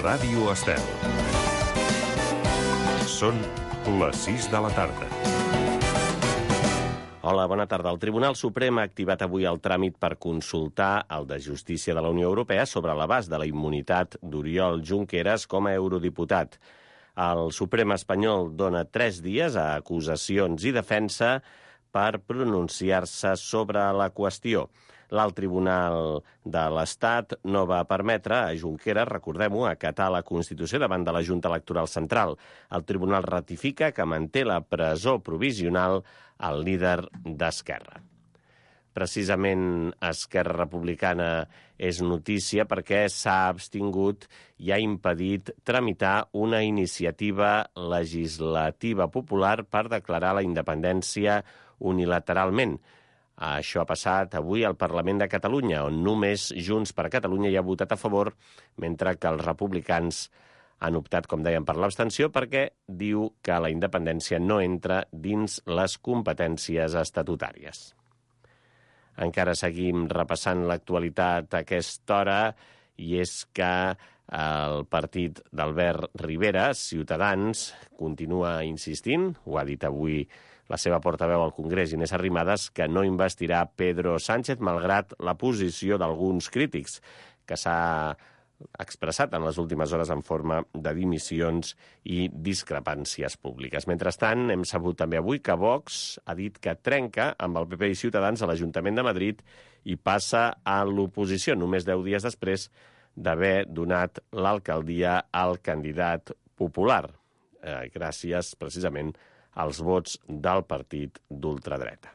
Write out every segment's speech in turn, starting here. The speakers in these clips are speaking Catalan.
Ràdio Estel. Són les 6 de la tarda. Hola, bona tarda. El Tribunal Suprem ha activat avui el tràmit per consultar el de Justícia de la Unió Europea sobre l'abast de la immunitat d'Oriol Junqueras com a eurodiputat. El Suprem espanyol dona 3 dies a acusacions i defensa per pronunciar-se sobre la qüestió. L'Alt Tribunal de l'Estat no va permetre a Junqueras, recordem-ho, acatar la Constitució davant de la Junta Electoral Central. El Tribunal ratifica que manté la presó provisional al líder d'Esquerra. Precisament Esquerra Republicana és notícia perquè s'ha abstingut i ha impedit tramitar una iniciativa legislativa popular per declarar la independència unilateralment. Això ha passat avui al Parlament de Catalunya, on només Junts per Catalunya hi ha votat a favor, mentre que els republicans han optat, com dèiem, per l'abstenció perquè diu que la independència no entra dins les competències estatutàries. Encara seguim repassant l'actualitat a aquesta hora i és que el partit d'Albert Rivera, Ciutadans, continua insistint, ho ha dit avui la seva portaveu al Congrés, Inés Arrimadas, que no investirà Pedro Sánchez, malgrat la posició d'alguns crítics, que s'ha expressat en les últimes hores en forma de dimissions i discrepàncies públiques. Mentrestant, hem sabut també avui que Vox ha dit que trenca amb el PP i Ciutadans a l'Ajuntament de Madrid i passa a l'oposició, només 10 dies després d'haver donat l'alcaldia al candidat popular, gràcies precisament als vots del partit d'ultradreta.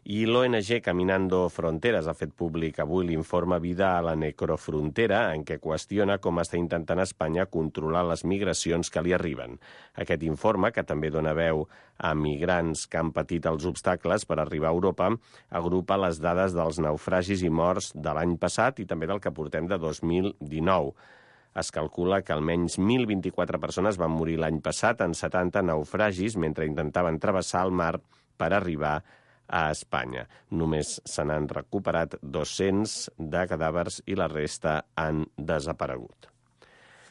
I l'ONG Caminando Fronteras ha fet públic avui l'informe Vida a la Necrofrontera, en què qüestiona com està intentant Espanya controlar les migracions que li arriben. Aquest informe, que també dona veu a migrants que han patit els obstacles per arribar a Europa, agrupa les dades dels naufragis i morts de l'any passat i també del que portem de 2019. Es calcula que almenys 1.024 persones van morir l'any passat en 70 naufragis mentre intentaven travessar el mar per arribar a Espanya. Només se n'han recuperat 200 de cadàvers i la resta han desaparegut.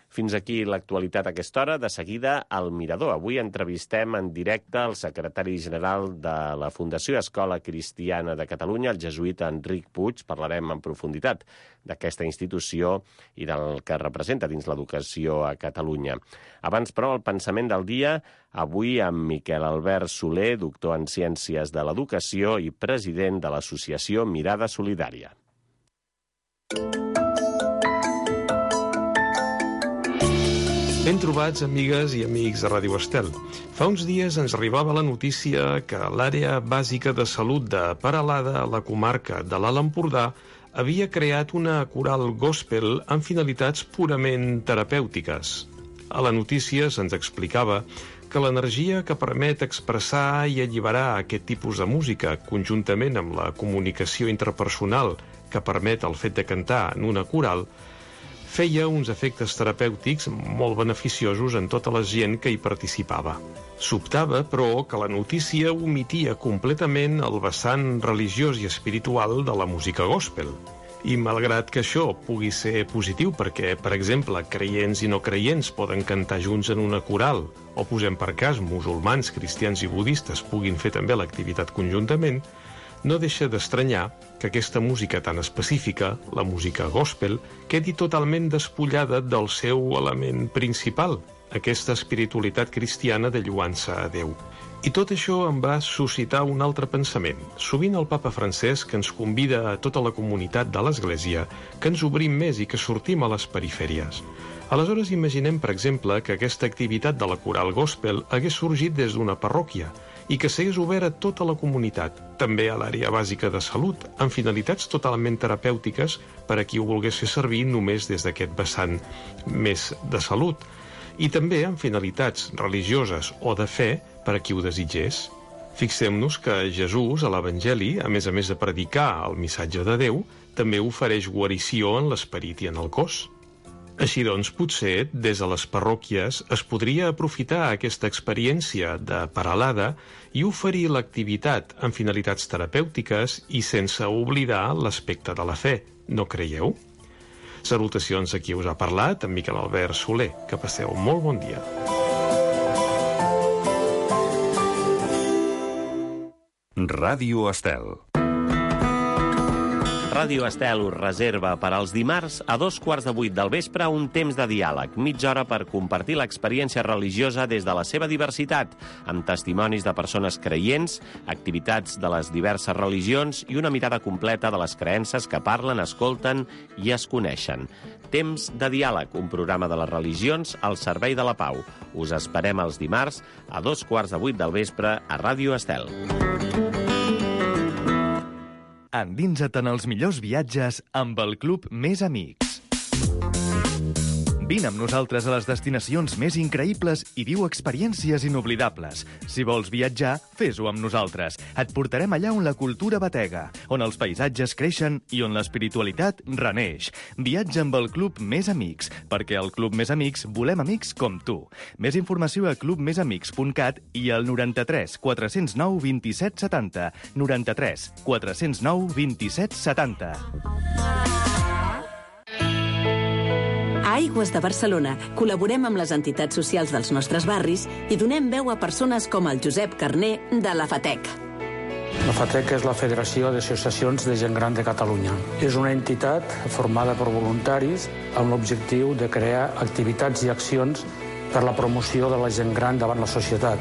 Fins aquí l'actualitat a aquesta hora. De seguida, al Mirador. Avui entrevistem en directe el secretari general de la Fundació Escola Cristiana de Catalunya, el jesuïta Enric Puig. Parlarem en profunditat d'aquesta institució i del que representa dins l'educació a Catalunya. Abans, però, el pensament del dia, avui amb Miquel Albert Soler, doctor en Ciències de l'Educació i president de l'associació Mirada Solidària. Ben trobats, amigues i amics de Ràdio Estel. Fa uns dies ens arribava la notícia que l'àrea bàsica de salut de Peralada, a la comarca de l'Alt Empordà, havia creat una coral gospel amb finalitats purament terapèutiques. A la notícia se'ns explicava que l'energia que permet expressar i alliberar aquest tipus de música, conjuntament amb la comunicació interpersonal que permet el fet de cantar en una coral, feia uns efectes terapèutics molt beneficiosos en tota la gent que hi participava. Sobtava, però, que la notícia omitia completament el vessant religiós i espiritual de la música gospel. I malgrat que això pugui ser positiu perquè, per exemple, creients i no creients poden cantar junts en una coral, o posem per cas musulmans, cristians i budistes puguin fer també l'activitat conjuntament, no deixa d'estranyar que aquesta música tan específica, la música gospel, quedi totalment despullada del seu element principal, aquesta espiritualitat cristiana de lluança a Déu. I tot això em va suscitar un altre pensament. Sovint el papa Francesc ens convida a tota la comunitat de l'Església que ens obrim més i que sortim a les perifèries. Aleshores imaginem, per exemple, que aquesta activitat de la coral gospel hagués sorgit des d'una parròquia i que s'hagués obert a tota la comunitat, també a l'àrea bàsica de salut, amb finalitats totalment terapèutiques per a qui ho volgués fer servir només des d'aquest vessant més de salut, i també amb finalitats religioses o de fe per a qui ho desitgés. Fixem-nos que Jesús, a l'Evangeli, a més de predicar el missatge de Déu, també ofereix guarició en l'esperit i en el cos. Així doncs, potser, des de les parròquies, es podria aprofitar aquesta experiència de Peralada i oferir l'activitat amb finalitats terapèutiques i sense oblidar l'aspecte de la fe, no creieu? Salutacions a qui us ha parlat, en Miquel Albert Soler. Que passeu molt bon dia. Ràdio Estel. Ràdio Estel us reserva per als dimarts a 7:15 del vespre un temps de diàleg, mitja hora per compartir l'experiència religiosa des de la seva diversitat, amb testimonis de persones creients, activitats de les diverses religions i una mirada completa de les creences que parlen, escolten i es coneixen. Temps de diàleg, un programa de les religions al servei de la pau. Us esperem els dimarts a 7:15 del vespre a Ràdio Estel. Endinsa't en els millors viatges amb el Club Més Amics. Vine amb nosaltres a les destinacions més increïbles i viu experiències inoblidables. Si vols viatjar, fes-ho amb nosaltres. Et portarem allà on la cultura batega, on els paisatges creixen i on l'espiritualitat reneix. Viatja amb el Club Més Amics, perquè al Club Més Amics volem amics com tu. Més informació a clubmesamics.cat i al 93 409 27 70. 93 409 27 70. A Aigües de Barcelona col·laborem amb les entitats socials dels nostres barris i donem veu a persones com el Josep Carner de la FATEC. La FATEC és la Federació d'Associacions de Gent Gran de Catalunya. És una entitat formada per voluntaris amb l'objectiu de crear activitats i accions per la promoció de la gent gran davant la societat.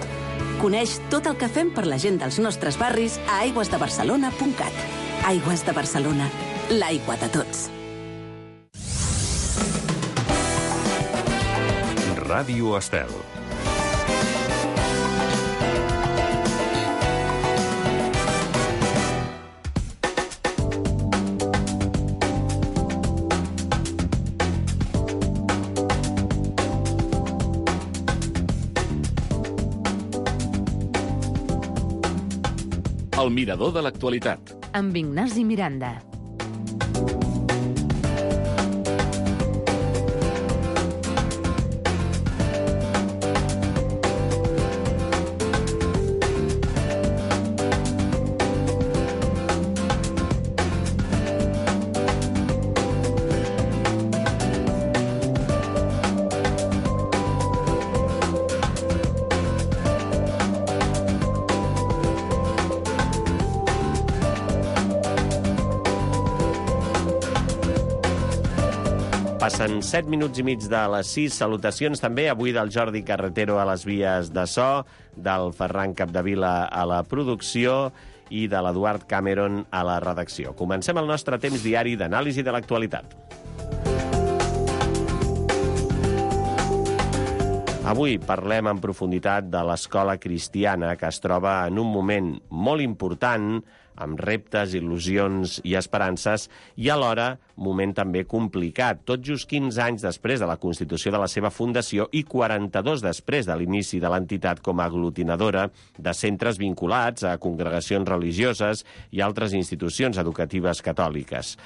Coneix tot el que fem per la gent dels nostres barris a aigüesdebarcelona.cat. Aigües de Barcelona, l'aigua de tots. Ràdio Estel. El mirador de l'actualitat. Amb Ignasi Miranda. Passen 7 minuts i mig de les 6. Salutacions també avui del Jordi Carretero a les vies de so, del Ferran Capdevila a la producció i de l'Eduard Cameron a la redacció. Comencem el nostre temps diari d'anàlisi de l'actualitat. Avui parlem en profunditat de l'escola cristiana, que es troba en un moment molt important, amb reptes, il·lusions i esperances, i alhora moment també complicat, tot just 15 anys després de la constitució de la seva fundació i 42 després de l'inici de l'entitat com a aglutinadora de centres vinculats a congregacions religioses i altres institucions educatives catòliques.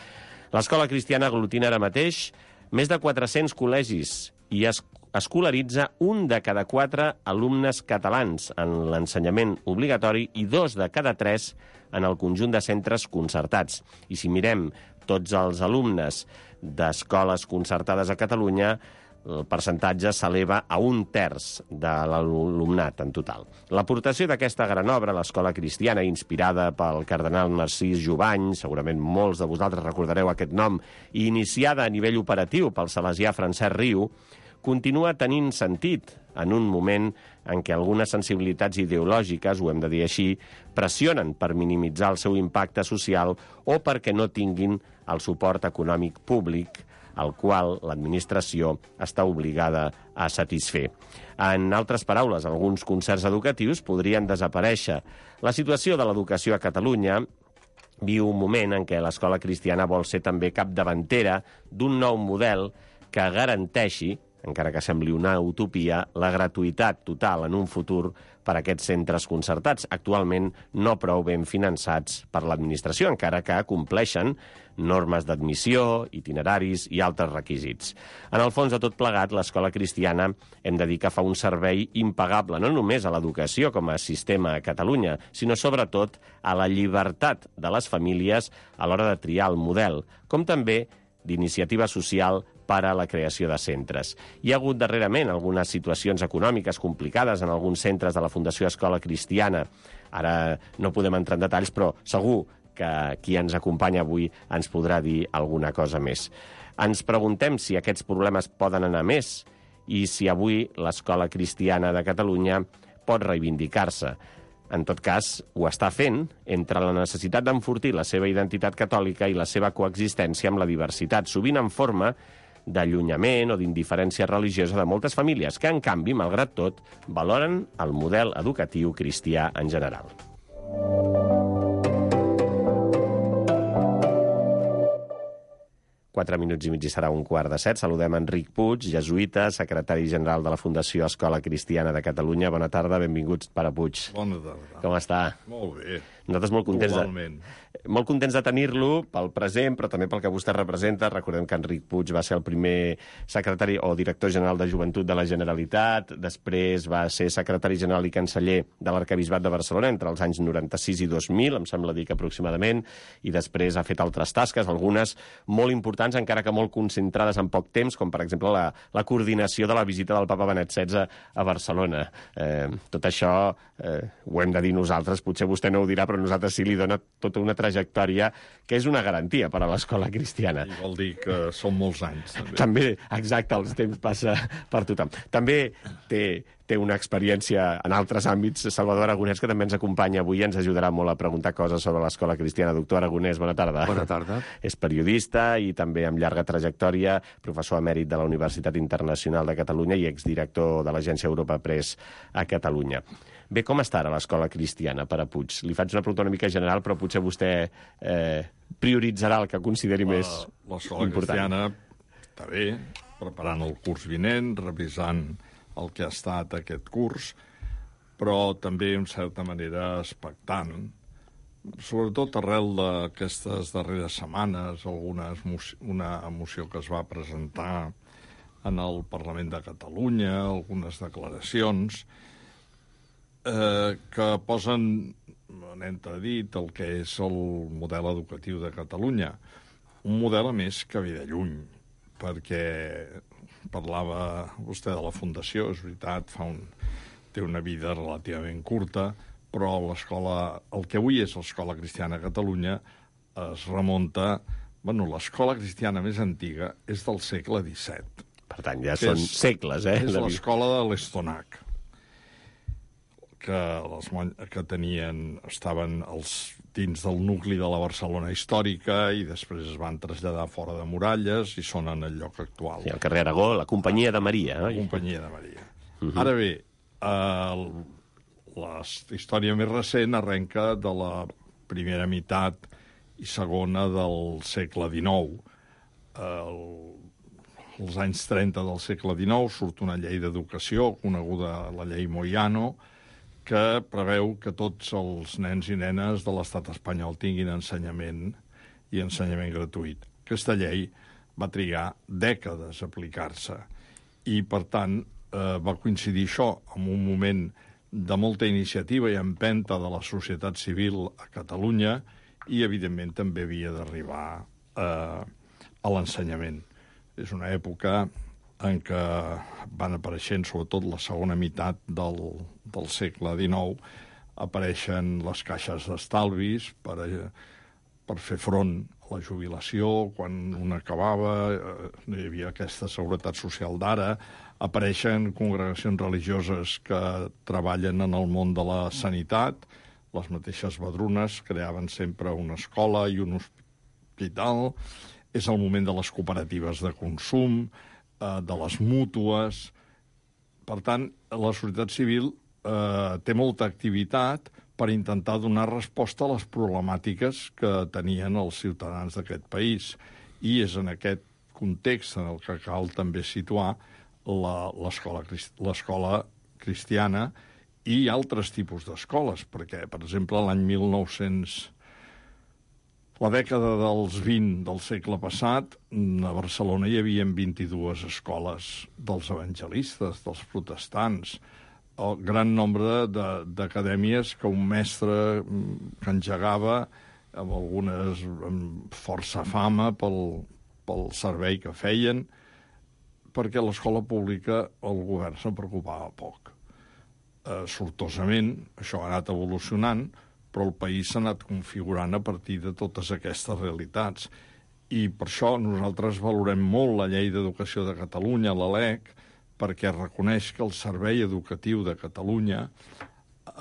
L'escola cristiana aglutina ara mateix més de 400 col·legis i escolaritza 1 de cada 4 alumnes catalans en l'ensenyament obligatori i 2 de cada 3 en el conjunt de centres concertats. I si mirem tots els alumnes d'escoles concertades a Catalunya, el percentatge s'eleva a 1/3 de l'alumnat en total. L'aportació d'aquesta gran obra, l'Escola Cristiana, inspirada pel cardenal Narcís Jubany, segurament molts de vosaltres recordareu aquest nom, i iniciada a nivell operatiu pel salesià Francesc Riu, continua tenint sentit en un moment en què algunes sensibilitats ideològiques, ho hem de dir així, pressionen per minimitzar el seu impacte social o perquè no tinguin el suport econòmic públic al qual l'administració està obligada a satisfer. En altres paraules, alguns concerts educatius podrien desaparèixer. La situació de l'educació a Catalunya viu un moment en què l'escola cristiana vol ser també capdavantera d'un nou model que garanteixi, encara que sembli una utopia, la gratuïtat total en un futur per a aquests centres concertats, actualment no prou ben finançats per l'administració, encara que compleixen normes d'admissió, itineraris i altres requisits. En el fons de tot plegat, l'escola cristiana hem de dir que fa un servei impagable, no només a l'educació com a sistema a Catalunya, sinó sobretot a la llibertat de les famílies a l'hora de triar el model, com també d'iniciativa social per a la creació de centres. Hi ha hagut darrerament algunes situacions econòmiques complicades en alguns centres de la Fundació Escola Cristiana. Ara no podem entrar en detalls, però segur que qui ens acompanya avui ens podrà dir alguna cosa més. Ens preguntem si aquests problemes poden anar més i si avui l'Escola Cristiana de Catalunya pot reivindicar-se. En tot cas, ho està fent entre la necessitat d'enfortir la seva identitat catòlica i la seva coexistència amb la diversitat, sovint en forma d'allunyament o d'indiferència religiosa de moltes famílies que, en canvi, malgrat tot, valoren el model educatiu cristià en general. Quatre minuts i mig i serà 6:15. Saludem Enric Puig, jesuïta, secretari general de la Fundació Escola Cristiana de Catalunya. Bona tarda, benvinguts, pare Puig. Bona tarda. Com està? Molt bé. Nosaltres molt contents de tenir-lo pel present, però també pel que vostè representa. Recordem que Enric Puig va ser el primer secretari o director general de Joventut de la Generalitat, després va ser secretari general i canceller de l'Arquebisbat de Barcelona entre els anys 96 i 2000, em sembla dir que aproximadament, i després ha fet altres tasques, algunes molt importants, encara que molt concentrades en poc temps, com per exemple la coordinació de la visita del papa Benet XVI a Barcelona. Tot això ho hem de dir nosaltres, potser vostè no ho dirà, però nosaltres sí li dona tota una trajectòria que és una garantia per a l'escola cristiana. I vol dir que són molts anys, també. També, exacte, el temps passa per tothom. També té una experiència en altres àmbits. Salvador Aragonès, que també ens acompanya avui, ens ajudarà molt a preguntar coses sobre l'escola cristiana. Doctor Aragonès, bona tarda. Bona tarda. És periodista i també amb llarga trajectòria, professor emèrit de la Universitat Internacional de Catalunya i exdirector de l'Agència Europa Press a Catalunya. Bé, com està ara l'escola cristiana, pare Puig? Li faig una pregunta una mica general, però potser vostè prioritzarà el que consideri més important. L'escola cristiana està bé, preparant el curs vinent, revisant el que ha estat aquest curs, però també, en certa manera, expectant, sobretot arrel d'aquestes darreres setmanes, una moció que es va presentar en el Parlament de Catalunya, algunes declaracions, que posen en entredit el que és el model educatiu de Catalunya. Un model, a més, que ve de lluny, perquè parlava vostè de la Fundació, és veritat, té una vida relativament curta, però el que avui és l'Escola Cristiana a Catalunya es remunta... l'escola cristiana més antiga és del segle XVII. Per tant, ja són segles, És l'escola de l'Estonac, que estaven dins del nucli de la Barcelona històrica i després es van traslladar fora de muralles i són en el lloc actual. Sí, al carrer Aragó, la Companyia de Maria. La Companyia de Maria. Ara bé, la història més recent arrenca de la primera meitat i segona del segle XIX. Als anys 30 del segle XIX surt una llei d'educació, coneguda la llei Moyano, que preveu que tots els nens i nenes de l'estat espanyol tinguin ensenyament i ensenyament gratuït. Aquesta llei va trigar dècades a aplicar-se i, per tant, va coincidir això amb un moment de molta iniciativa i empenta de la societat civil a Catalunya i, evidentment, també havia d'arribar a l'ensenyament. És una època en què van apareixent, sobretot la segona meitat del segle XIX, apareixen les caixes d'estalvis per fer front a la jubilació, quan una acabava, no hi havia aquesta seguretat social d'ara, apareixen congregacions religioses que treballen en el món de la sanitat, les mateixes Badrunes creaven sempre una escola i un hospital, és el moment de les cooperatives de consum, de les mútues. Per tant, la societat civil té molta activitat per intentar donar resposta a les problemàtiques que tenien els ciutadans d'aquest país. I és en aquest context en el que cal també situar l'escola cristiana i altres tipus d'escoles, perquè, per exemple, l'any 1900... La dècada dels 20 del segle passat, a Barcelona hi havia 22 escoles dels evangelistes, dels protestants, el gran nombre d'acadèmies que un mestre que engegava, amb algunes amb força fama pel pel servei que feien, perquè l'escola pública el govern se'n preocupava poc. Sortosament, això ha anat evolucionant, però el país s'ha anat configurant a partir de totes aquestes realitats. I per això nosaltres valorem molt la Llei d'Educació de Catalunya, la LEC, perquè reconeix que el servei educatiu de Catalunya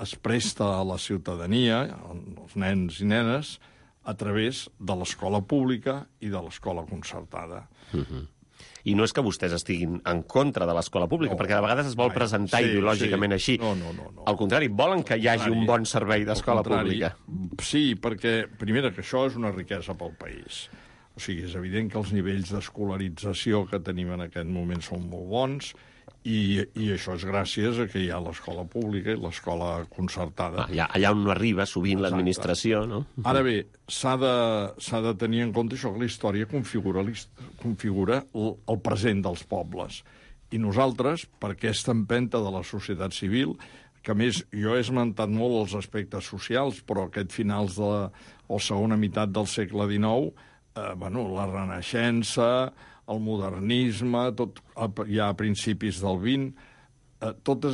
es presta a la ciutadania, als nens i nenes, a través de l'escola pública i de l'escola concertada. I no és que vostès estiguin en contra de l'escola pública, perquè de vegades es vol presentar ideològicament així. No. Al contrari, volen que hi hagi un bon servei d'escola pública. Sí, perquè, primera, que això és una riquesa pel país. O sigui, és evident que els nivells d'escolarització que tenim en aquest moment són molt bons, i això és gràcies a que hi ha l'escola pública i l'escola concertada. Allà on no arriba sovint l'administració, no? Ara bé, s'ha de tenir en compte això, que la història configura el present dels pobles. I nosaltres, per aquesta empenta de la societat civil, que a més jo he esmentat molt els aspectes socials, però aquest finals de la segona meitat del segle XIX, la Renaixença, el modernisme, ja a principis del XX, tota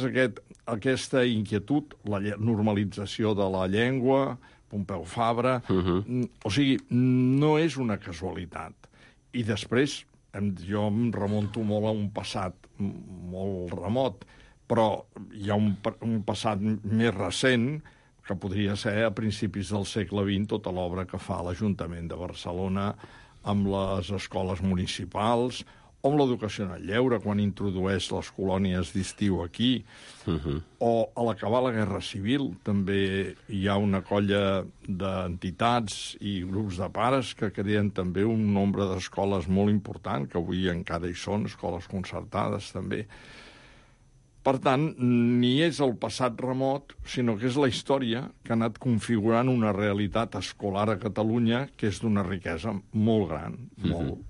aquesta inquietud, la normalització de la llengua, Pompeu Fabra, o sigui, no és una casualitat. I després, jo em remunto molt a un passat molt remot, però hi ha un passat més recent, que podria ser a principis del segle XX, tota l'obra que fa l'Ajuntament de Barcelona amb les escoles municipals, o amb l'educació en el lleure, quan introdueix les colònies d'estiu aquí, o a l'acabar la Guerra Civil també hi ha una colla d'entitats i grups de pares que creen també un nombre d'escoles molt important, que avui encara hi són, escoles concertades també. Per tant, ni és el passat remot, sinó que és la història que ha anat configurant una realitat escolar a Catalunya que és d'una riquesa molt gran, molt.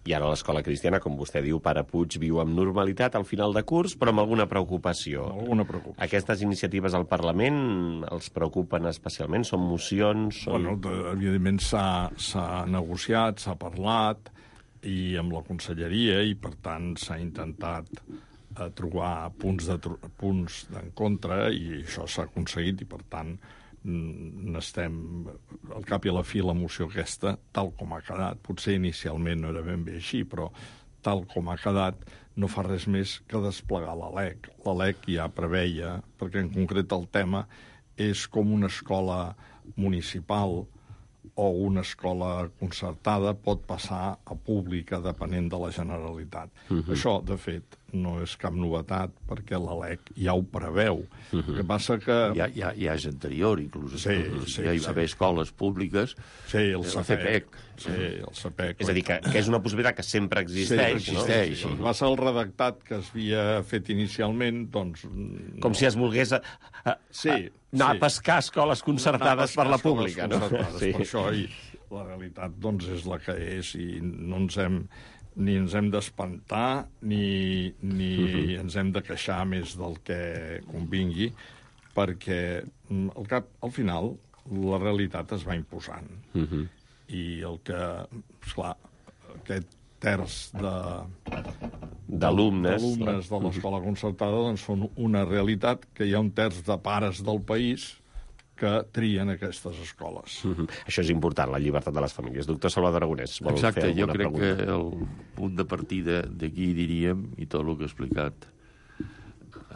I ara l'escola cristiana, com vostè diu, Pare Puig, viu amb normalitat al final de curs, però amb alguna preocupació. Alguna preocupació. Aquestes iniciatives al Parlament els preocupen especialment? Són mocions? Bueno, evidentment s'ha negociat, s'ha parlat, i amb la conselleria, i per tant s'ha intentat trobar punts d'encontre, i això s'ha aconseguit, i per tant n'estem al cap i a la fi la moció aquesta, tal com ha quedat. Potser inicialment no era ben bé així, però tal com ha quedat no fa res més que desplegar la LEC. La LEC ja preveia, perquè en concret el tema és com una escola municipal o una escola concertada pot passar a pública depenent de la Generalitat. Això, de fet, no és cap novetat, perquè la LEC ja ho preveu. El que passa que... Ja és anterior, inclús. Sí, ja hi va haver escoles públiques. Sí, el CEPEC. Sí, el CEPEC. És a dir, que és una possibilitat que sempre existeix, no? Sí. Va ser el redactat que es havia fet inicialment, doncs... Com si es volgués anar a pescar escoles concertades per la pública, no? Per això, i la realitat, doncs, és la que és, i no ens hem... ni ens hem d'espantar, ni ens hem de queixar més del que convingui, perquè al final la realitat es va imposant. I el que, esclar, aquest terç d'alumnes de l'escola concertada doncs són una realitat, que hi ha un terç de pares del país que trien aquestes escoles. Això és important, la llibertat de les famílies. Doctor Salvador Aragonès, vol fer alguna pregunta? Jo crec que el punt de partida d'aquí, diríem, i tot el que ha explicat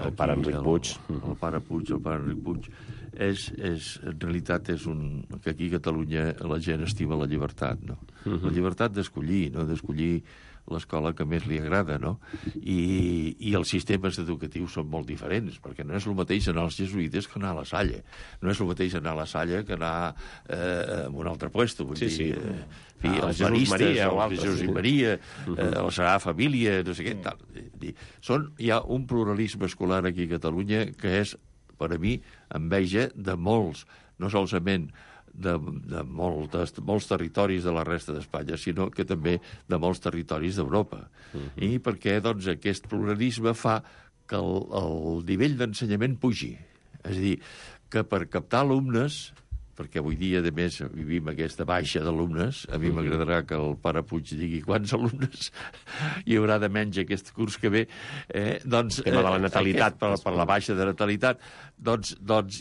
el pare Enric Puig, el pare Enric Puig, en realitat és que aquí a Catalunya la gent estima la llibertat, no? La llibertat d'escollir, no? D'escollir l'escola que més li agrada, no? I els sistemes educatius són molt diferents, perquè no és el mateix anar als jesuïtes que anar a la Salle. No és el mateix anar a la Salle que anar a un altre puesto. Vull dir, els maristes, el Jesús i Maria, la Sagrada Família, no sé què, tal. Hi ha un pluralisme escolar aquí a Catalunya que és, per a mi, enveja de molts, no solament de molts territoris de la resta d'Espanya, sinó que també de molts territoris d'Europa. I perquè, doncs, aquest pluralisme fa que el nivell d'ensenyament pugi. És a dir, que per captar alumnes perquè avui dia, a més, vivim aquesta baixa d'alumnes. A mi m'agradarà que el pare Puig digui quants alumnes hi haurà de menys aquest curs que ve. Doncs, tema de la natalitat, per la baixa de natalitat, doncs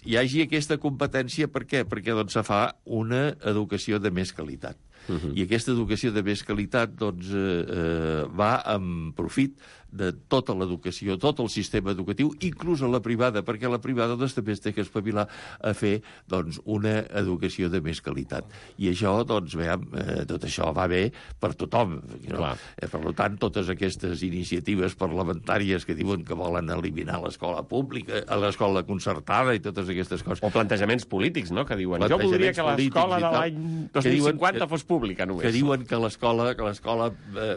hi hagi aquesta competència. Per què? Perquè doncs, se fa una educació de més qualitat. I aquesta educació de més qualitat doncs, va en profit de tota l'educació, tot el sistema educatiu, inclús a la privada, perquè la privada doncs, també es té que espavilar a fer doncs, una educació de més qualitat. I això, doncs, veiem, tot això va bé per tothom. No? Per tant, totes aquestes iniciatives parlamentàries que diuen que volen eliminar l'escola pública, l'escola concertada i totes aquestes coses. O plantejaments polítics, no?, que diuen jo voldria que l'escola de l'any 2050 fos pública només. Que diuen que l'escola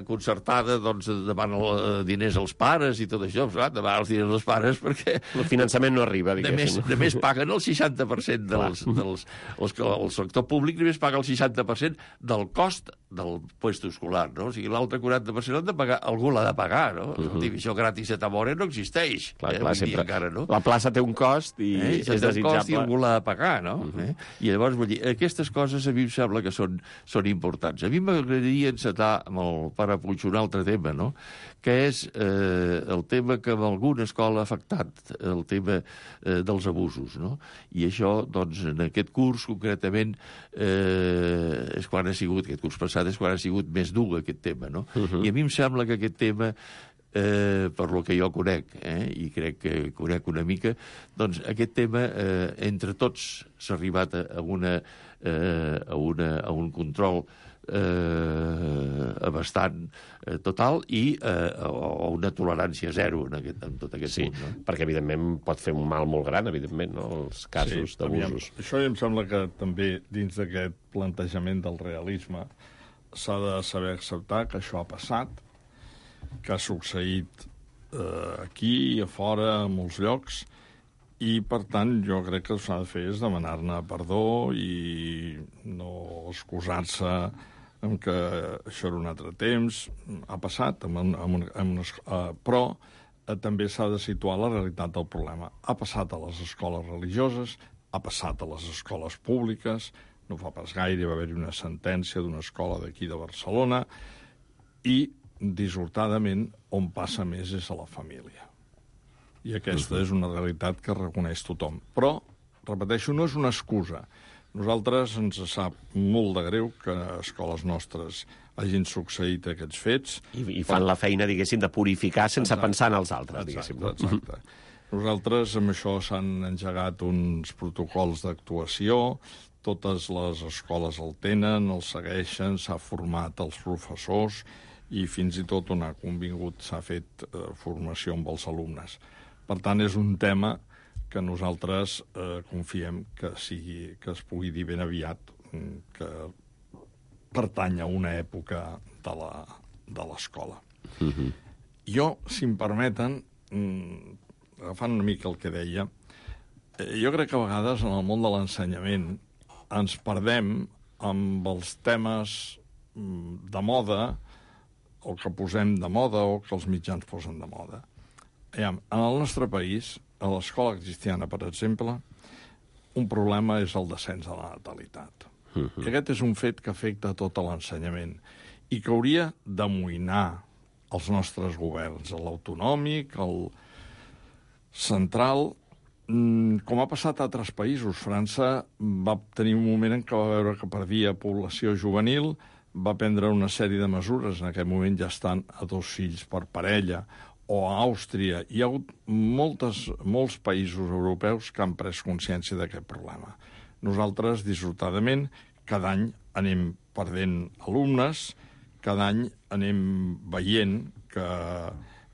concertada doncs, demana diners als pares i tot això, demana els diners als pares perquè... El finançament no arriba, diguéssim. Només paguen el 60% el sector públic només paga el 60% del cost del puesto escolar, no? O sigui, l'altre 40% han de pagar, algú l'ha de pagar, no? Això gratis a Tamora no existeix. Encara, no? La plaça té un cost i és desitjable. Cost i algú l'ha de pagar, no? I llavors, vull dir, aquestes coses a mi em sembla que són importants. A mi m'agradaria encetar amb el pare Puig un altre tema, no?, que és el tema que en alguna escola ha afectat, el tema dels abusos, no? I això, doncs, en aquest curs, concretament, és quan ha sigut, aquest curs passat, és quan ha sigut més dur aquest tema, no? I a mi em sembla que aquest tema, per lo que jo conec, i crec que conec una mica, doncs aquest tema, entre tots, s'ha arribat a un control bastant total i a una tolerància zero en tot aquest punt. No? Perquè, evidentment, pot fer un mal molt gran, evidentment, no?, els casos d'abusos. Això em sembla que també, dins d'aquest plantejament del realisme, s'ha de saber acceptar que això ha passat, que ha succeït aquí i a fora, a molts llocs, i, per tant, jo crec que el que s'ha de fer és demanar-ne perdó i no excusar-se en que això era un altre temps. Ha passat, però també s'ha de situar la realitat del problema. Ha passat a les escoles religioses, ha passat a les escoles públiques, no fa pas gaire va haver-hi una sentència d'una escola d'aquí de Barcelona, i, dissortadament, on passa més és a la família. I aquesta és una realitat que reconeix tothom. Però, repeteixo, no és una excusa. Nosaltres ens sap molt de greu que a escoles nostres hagin succeït aquests fets. I fan la feina, diguéssim, de purificar sense pensar en els altres, diguéssim. Exacte. Nosaltres, amb això, s'han engegat uns protocols d'actuació, totes les escoles el tenen, el segueixen, s'ha format els professors i fins i tot on ha convingut s'ha fet formació amb els alumnes. Per tant, és un tema que nosaltres confiem que es pugui dir ben aviat que pertany a una època de l'escola. Jo, si em permeten, agafant una mica el que deia, jo crec que a vegades en el món de l'ensenyament ens perdem amb els temes de moda o que posem de moda o que els mitjans posen de moda. En el nostre país, a l'escola cristiana, per exemple, un problema és el descens de la natalitat. I aquest és un fet que afecta tot l'ensenyament i que hauria d'amoïnar els nostres governs, l'autonòmic, el central, com ha passat a altres països. França va tenir un moment en què va veure que perdia població juvenil, va prendre una sèrie de mesures, en aquest moment ja estan a 2 fills per parella, o a Àustria. Hi ha hagut molts països europeus que han pres consciència d'aquest problema. Nosaltres, dissortadament, cada any anem perdent alumnes, cada any anem veient que,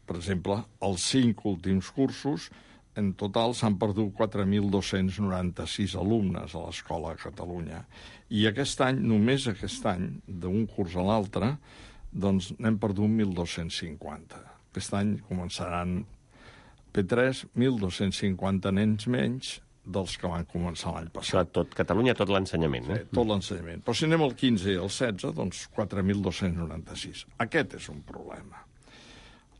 per exemple, els 5 últims cursos, en total s'han perdut 4.296 alumnes a l'escola a Catalunya. I aquest any, només aquest any, d'un curs a l'altre, doncs n'hem perdut 1.250. Aquest any començaran P3, 1.250 nens menys dels que van començar l'any passat. Això tot Catalunya, tot l'ensenyament, no? Sí, tot l'ensenyament. Però si anem al 15 i al 16, doncs 4.296. Aquest és un problema.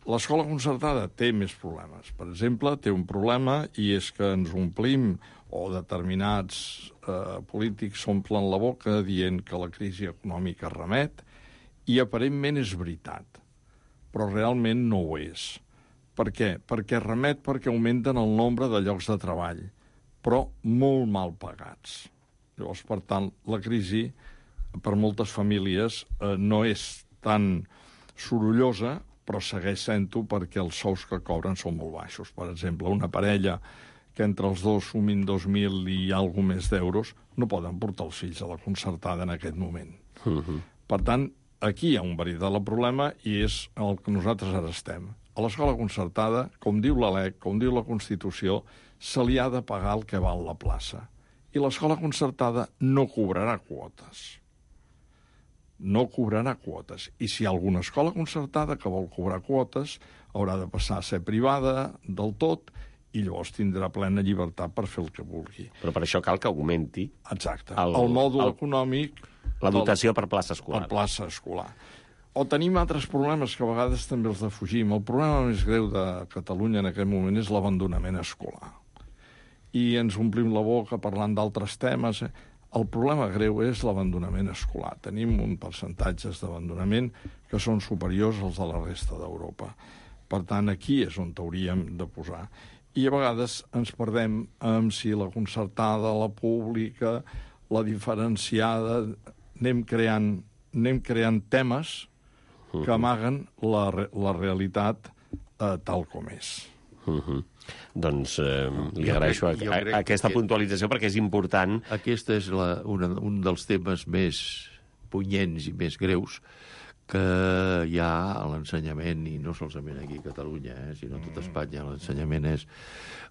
L'escola concertada té més problemes. Per exemple, té un problema i és que ens omplim, o determinats polítics s'omplen la boca dient que la crisi econòmica remet, i aparentment és veritat, però realment no ho és. Per què? Perquè remet perquè augmenten el nombre de llocs de treball, però molt mal pagats. Llavors, per tant, la crisi per moltes famílies no és tan sorollosa, però segueix sent-ho perquè els sous que cobren són molt baixos. Per exemple, una parella que entre els dos sumin 2.000 i alguna més d'euros no poden portar els fills a la concertada en aquest moment. Per tant, aquí hi ha un veritable problema i és el que nosaltres ara estem. A l'escola concertada, com diu la LEC, com diu la Constitució, se li ha de pagar el que val la plaça. I l'escola concertada no cobrarà quotes. No cobrarà quotes. I si hi ha alguna escola concertada que vol cobrar quotes, haurà de passar a ser privada del tot i llavors tindrà plena llibertat per fer el que vulgui. Però per això cal que augmenti... Exacte. El mòdul econòmic... La dotació per plaça escolar. Per plaça escolar. O tenim altres problemes que a vegades també els defugim. El problema més greu de Catalunya en aquest moment és l'abandonament escolar. I ens omplim la boca parlant d'altres temes. El problema greu és l'abandonament escolar. Tenim un percentatges d'abandonament que són superiors als de la resta d'Europa. Per tant, aquí és on hauríem de posar. I a vegades ens perdem amb si la concertada, la pública, la diferenciada... Anem creant temes que amaguen la realitat tal com és. Doncs li agraeixo aquesta puntualització perquè és important. Aquest és un dels temes més punyents i més greus que hi ha a l'ensenyament, i no solament aquí a Catalunya, sinó a tot Espanya. L'ensenyament és...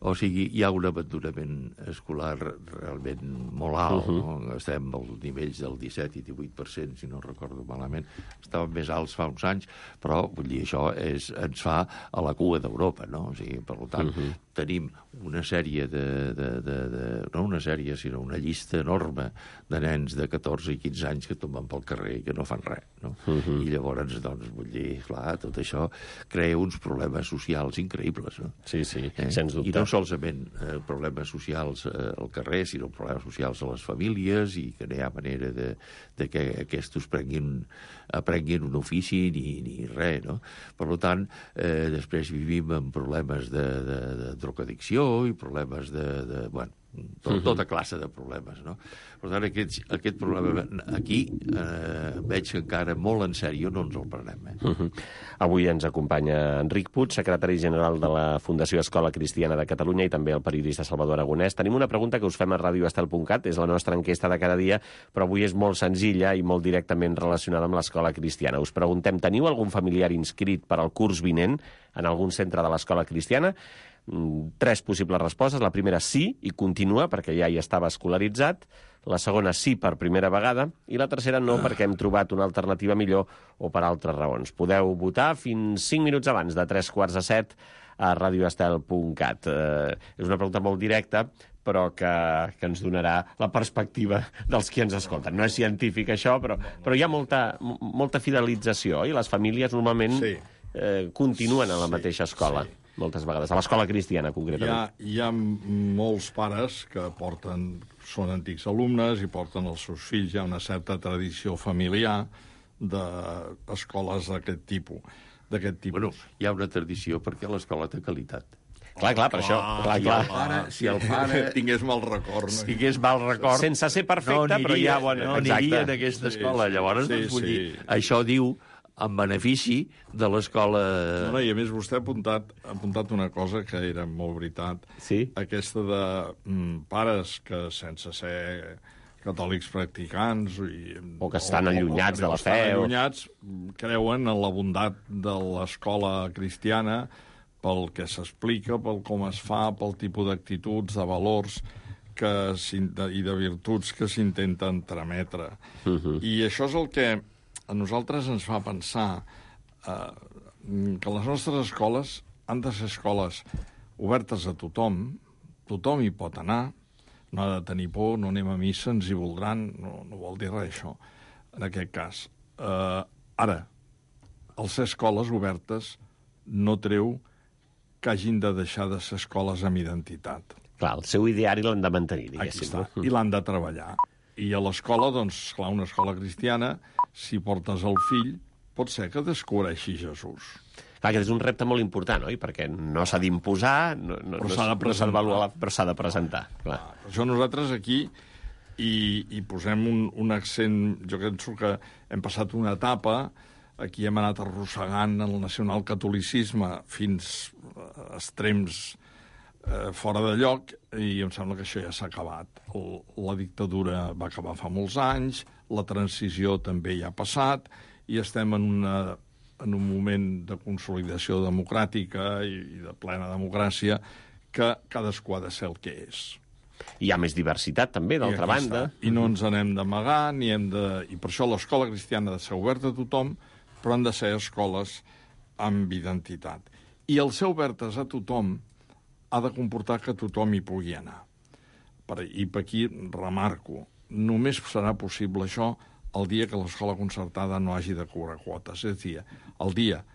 O sigui, hi ha un abandonament escolar realment molt alt. No? Estem als nivells del 17 i 18%, si no recordo malament. Estàvem més alts fa uns anys, però vull dir, això ens fa a la cua d'Europa, no? O sigui, per tant, tenim una sèrie no una sèrie, sinó una llista enorme de nens de 14 i 15 anys que tomben pel carrer i que no fan res, no? I llavors, doncs, vull dir, clar, tot això crea uns problemes socials increïbles, no? Sí, sens dubte. I no solament problemes socials al carrer, sinó problemes socials a les famílies i que no hi ha manera de que aquests aprenguin un ofici ni res, no? Per tant, després vivim amb problemes de drogadicció i problemes tota classe de problemes, no? Per tant, aquest problema aquí veig que encara molt en sèrio no ens el prenem. Avui ens acompanya Enric Puig, secretari general de la Fundació Escola Cristiana de Catalunya, i també el periodista Salvador Aragonès. Tenim una pregunta que us fem a radioestel.cat, és la nostra enquesta de cada dia, però avui és molt senzilla i molt directament relacionada amb l'Escola Cristiana. Us preguntem, teniu algun familiar inscrit per al curs vinent en algun centre de l'Escola Cristiana? 3 possibles respostes. La primera, sí, i continua, perquè ja hi estava escolaritzat. La segona, sí, per primera vegada. I la tercera, no, perquè hem trobat una alternativa millor o per altres raons. Podeu votar fins 5 minuts abans de 3:45 a radioestel.cat. És una pregunta molt directa, però que ens donarà la perspectiva dels qui ens escolten. No és científic, això, però hi ha molta fidelització, i les famílies normalment continuen a la mateixa escola. Sí. Moltes vegades, a l'escola cristiana, concretament. Hi ha molts pares que són antics alumnes i porten els seus fills. Hi ha una certa tradició familiar d'escoles d'aquest tipus. Bueno, hi ha una tradició perquè l'escola té qualitat. Clar, per això. Si el pare tingués mal record. Sense ser perfecte, però hi ha bona... No aniria en aquesta escola. Llavors, vull dir, això diu en benefici de l'escola... No, i a més vostè ha apuntat una cosa que era molt veritat. Sí? Aquesta de pares que sense ser catòlics practicants... O que estan allunyats de la fe. Creuen en la bondat de l'escola cristiana pel que s'explica, pel com es fa, pel tipus d'actituds, de valors i de virtuts que s'intenten trametre. I això és el que a nosaltres ens fa pensar que les nostres escoles han de ser escoles obertes a tothom hi pot anar, no ha de tenir por, no anem a missa, ens hi voldran, no vol dir res, això, en aquest cas. Ara, al ser escoles obertes no treu que hagin de deixar de ser escoles amb identitat. Clar, el seu ideari l'han de mantenir, diguéssim. Aquí està, i l'han de treballar. I a l'escola, doncs, clar, una escola cristiana, si portes el fill, pot ser que descobreixi Jesús. Clar, aquest és un repte molt important, oi? Perquè no s'ha d'imposar, però s'ha de presentar. Però s'ha de presentar. Clar. Per això nosaltres aquí hi posem un accent. Jo penso que hem passat una etapa, aquí hem anat arrossegant el nacionalcatolicisme fins a extrems fora de lloc, i em sembla que això ja s'ha acabat. La dictadura va acabar fa molts anys, la transició també ja ha passat, i estem en un moment de consolidació democràtica i de plena democràcia que cadascú ha de ser el que és. Hi ha més diversitat, també, d'altra banda. I no ens n'hem d'amagar, i per això l'escola cristiana ha de ser oberta a tothom, però han de ser escoles amb identitat. I el ser obertes a tothom ha de comportar que tothom hi pugui anar. I per aquí remarco, només serà possible això el dia que l'escola concertada no hagi de cobrar quotes. És a dir, el dia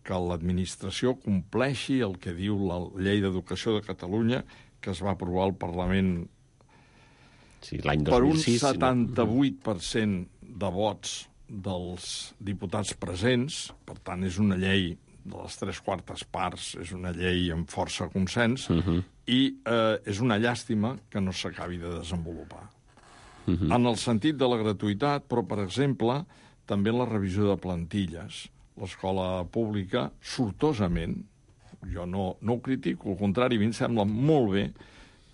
que l'administració compleixi el que diu la Llei d'Educació de Catalunya, que es va aprovar al Parlament l'any 2006, per un 78% de vots dels diputats presents. Per tant, és una llei de les 3/4 parts, és una llei amb força consens, i és una llàstima que no s'acabi de desenvolupar. En el sentit de la gratuïtat, però, per exemple, també en la revisió de plantilles. L'escola pública, sortosament, jo no ho critico, al contrari, a mi em sembla molt bé,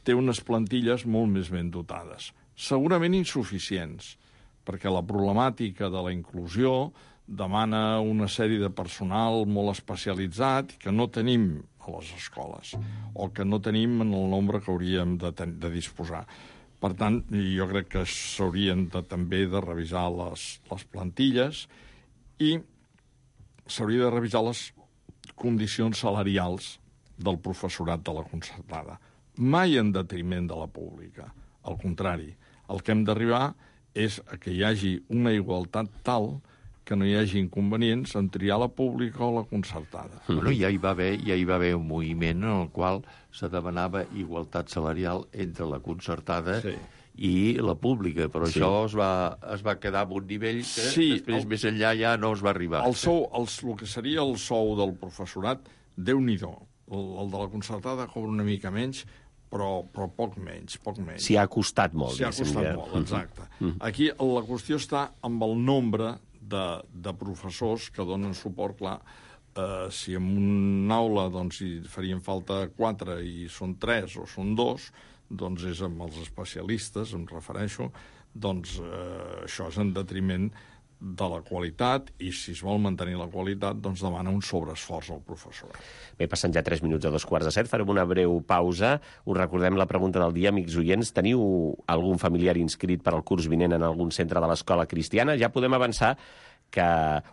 té unes plantilles molt més ben dotades. Segurament insuficients, perquè la problemàtica de la inclusió demana una sèrie de personal molt especialitzat que no tenim a les escoles, o que no tenim en el nombre que hauríem de disposar. Per tant, jo crec que s'haurien també de revisar les plantilles i s'hauria de revisar les condicions salarials del professorat de la concertada. Mai en detriment de la pública. Al contrari, el que hem d'arribar és a que hi hagi una igualtat tal que no hi hagi inconvenients en triar la pública o la concertada. Bueno, ja hi va haver un moviment en el qual se demanava igualtat salarial entre la concertada i la pública, però això es va quedar a un nivell que després més enllà ja no es va arribar. El que seria el sou del professorat, Déu-n'hi-do. El de la concertada cobra una mica menys, però poc menys. S'hi ha costat molt. S'hi ha costat molt, exacte. Aquí la qüestió està amb el nombre de professors que donen suport. Clar, si en una aula hi farien falta 4 i són 3 o són 2, doncs és amb els especialistes, em refereixo, doncs això és en detriment de la qualitat, i si es vol mantenir la qualitat, doncs demana un sobreesforç al professorat. Bé, passen ja 3 minuts a 2:45, farem una breu pausa. Us recordem la pregunta del dia, amics oients. Teniu algun familiar inscrit per al curs vinent en algun centre de l'escola cristiana? Ja podem avançar que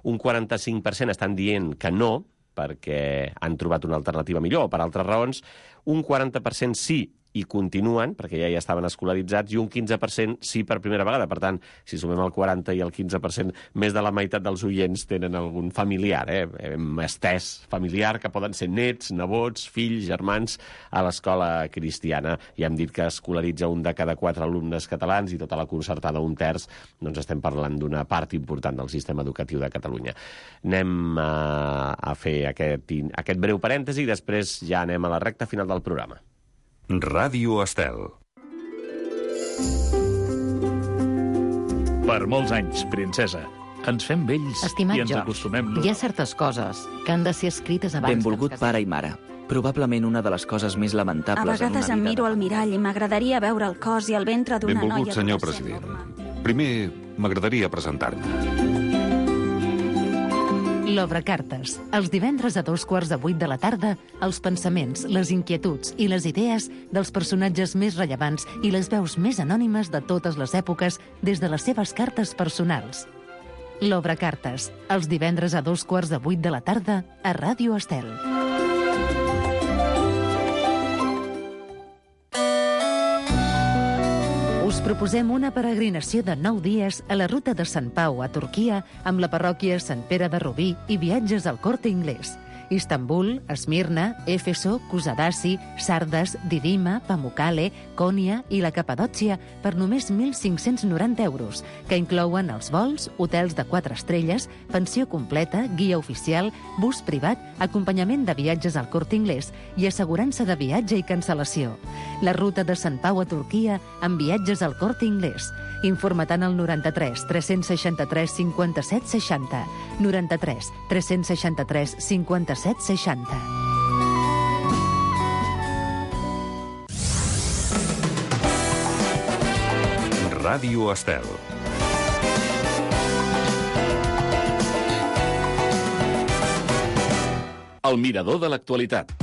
un 45% estan dient que no, perquè han trobat una alternativa millor o per altres raons. Un 40% sí i continuen, perquè ja estaven escolaritzats, i un 15% sí per primera vegada. Per tant, si sumem el 40 i el 15%, més de la meitat dels oients tenen algun familiar, hem estès familiar, que poden ser nets, nebots, fills, germans, a l'escola cristiana. Ja hem dit que escolaritza un de cada 4 alumnes catalans i tota la concertada un terç, doncs estem parlant d'una part important del sistema educatiu de Catalunya. Anem a fer aquest breu parèntesi i després ja anem a la recta final del programa. Ràdio Estel. Per molts anys, princesa. Ens fem vells i ens acostumem... Hi ha certes coses que han de ser escrites abans... Benvolgut pare i mare. Probablement una de les coses més lamentables en una vida... A vegades em miro al mirall i m'agradaria veure el cos i el ventre d'una noia... Benvolgut, senyor president. Primer, m'agradaria presentar-me. L'Obrecartes. Els divendres a 7:15 de la tarda, els pensaments, les inquietuds i les idees dels personatges més rellevants i les veus més anònimes de totes les èpoques des de les seves cartes personals. L'Obrecartes. Els divendres a 7:15 de la tarda a Ràdio Estel. Us proposem una peregrinació de 9 dies a la ruta de Sant Pau a Turquia amb la parròquia Sant Pere de Rubí i viatges al Corte Inglés. Istanbul, Esmirna, Éfeso, Kusadasi, Sardes, Didima, Pamukkale, Konya i la Capadòcia per només 1.590 euros, que inclouen els vols, hotels de 4 estrelles, pensió completa, guia oficial, bus privat, acompanyament de viatges al Corte Inglés i assegurança de viatge i cancel·lació. La ruta de Sant Pau a Turquia amb viatges al Corte Inglés. Informa-te'n al 93 363 57 60. 93 363 57 60. Ràdio Estel. El mirador de l'actualitat.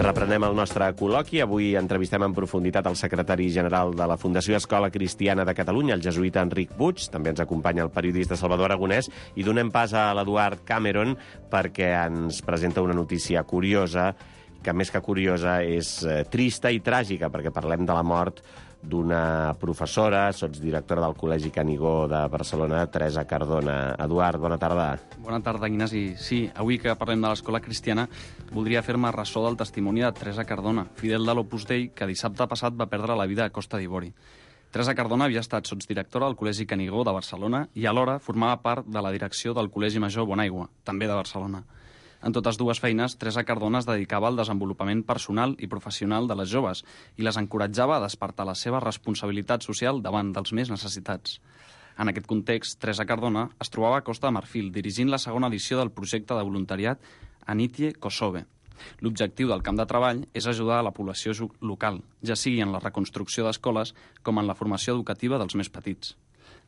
Reprenem el nostre col·loqui. Avui entrevistem en profunditat el secretari general de la Fundació Escola Cristiana de Catalunya, el jesuïta Enric Puig. També ens acompanya el periodista Salvador Aragonès. I donem pas a l'Eduard Cameron perquè ens presenta una notícia curiosa, que més que curiosa és trista i tràgica, perquè parlem de la mort d'una professora, sotsdirectora del Col·legi Canigó de Barcelona, Teresa Cardona. Eduard, bona tarda. Bona tarda, Ignasi. Sí, avui que parlem de l'Escola Cristiana, voldria fer-me ressò del testimoni de Teresa Cardona, fidel de l'Opus Dei, que dissabte passat va perdre la vida a Costa d'Ivori. Teresa Cardona havia estat sotsdirectora del Col·legi Canigó de Barcelona i alhora formava part de la direcció del Col·legi Major Bonaigua, també de Barcelona. En totes dues feines, Teresa Cardona es dedicava al desenvolupament personal i professional de les joves i les encoratjava a despertar la seva responsabilitat social davant dels més necessitats. En aquest context, Teresa Cardona es trobava a Costa de Marfil, dirigint la segona edició del projecte de voluntariat Anitie Kosove. L'objectiu del camp de treball és ajudar a la població local, ja sigui en la reconstrucció d'escoles com en la formació educativa dels més petits.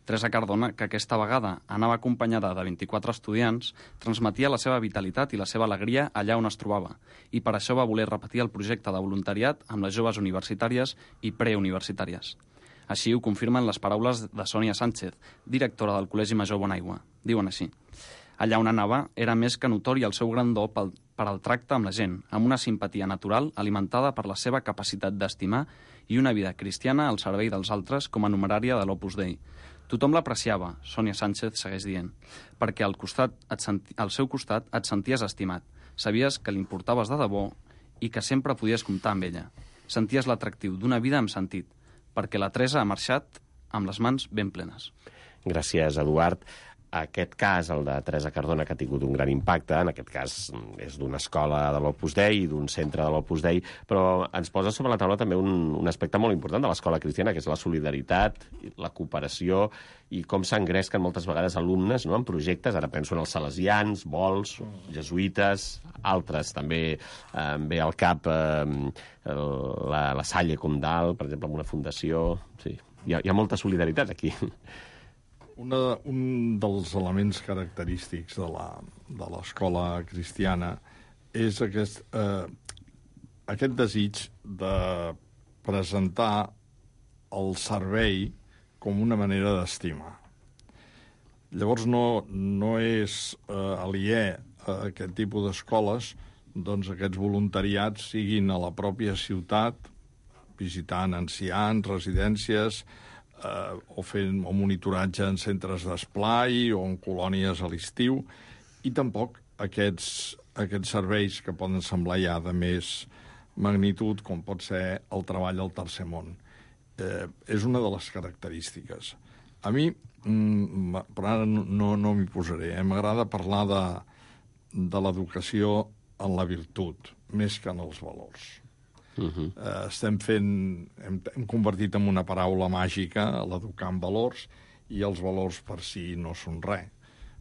Teresa Cardona, que aquesta vegada anava acompanyada de 24 estudiants, transmetia la seva vitalitat i la seva alegria allà on es trobava, i per això va voler repetir el projecte de voluntariat amb les joves universitàries i preuniversitàries. Així ho confirmen les paraules de Sònia Sánchez, directora del Col·legi Major Bonaigua. Diuen així: allà on anava era més que notori el seu gran do per al tracte amb la gent, amb una simpatia natural alimentada per la seva capacitat d'estimar i una vida cristiana al servei dels altres com a numerària de l'Opus Dei. Tothom l'apreciava, Sònia Sánchez segueix dient, perquè al seu costat et senties estimat, sabies que li importaves de debò i que sempre podies comptar amb ella. Senties l'atractiu d'una vida amb sentit, perquè la Teresa ha marxat amb les mans ben plenes. Gràcies, Eduard. Aquest cas, el de Teresa Cardona, que ha tingut un gran impacte, en aquest cas és d'una escola de l'Opus Dei i d'un centre de l'Opus Dei, però ens posa sobre la taula també un aspecte molt important de l'escola cristiana, que és la solidaritat, la cooperació i com s'engresquen moltes vegades alumnes, no?, en projectes. Ara penso en els salesians, vols, jesuïtes, altres. També ve al cap la Salle Comdal, per exemple, amb una fundació. Sí, hi ha molta solidaritat aquí. Un dels elements característics de l'escola cristiana és aquest desig de presentar el servei com una manera d'estimar. Llavors no és aliè a aquest tipus d'escoles doncs aquests voluntariats siguin a la pròpia ciutat, visitant ancians, residències, o fent monitoratge en centres d'esplai o en colònies a l'estiu, i tampoc aquests serveis que poden semblar ja de més magnitud, com pot ser el treball al tercer món. És una de les característiques. A mi, però ara no m'hi posaré, m'agrada parlar de l'educació en la virtut, més que en els valors. Hem convertit en una paraula màgica l'educar en valors, i els valors per si no són res,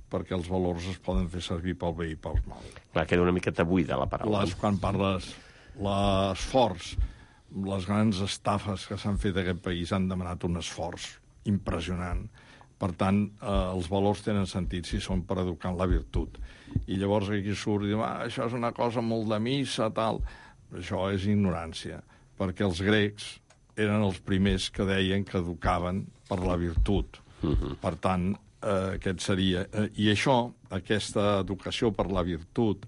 perquè els valors es poden fer servir pel bé i pel mal. Clar, queda una miqueta buida la paraula. Quan parles l'esforç, les grans estafes que s'han fet a aquest país han demanat un esforç impressionant Per tant, els valors tenen sentit si són per educar en la virtut. I llavors aquí surt i diu, això és una cosa molt de missa, tal. Això és ignorància, perquè els grecs eren els primers que deien que educaven per la virtut. Per tant, aquest seria... I això, aquesta educació per la virtut,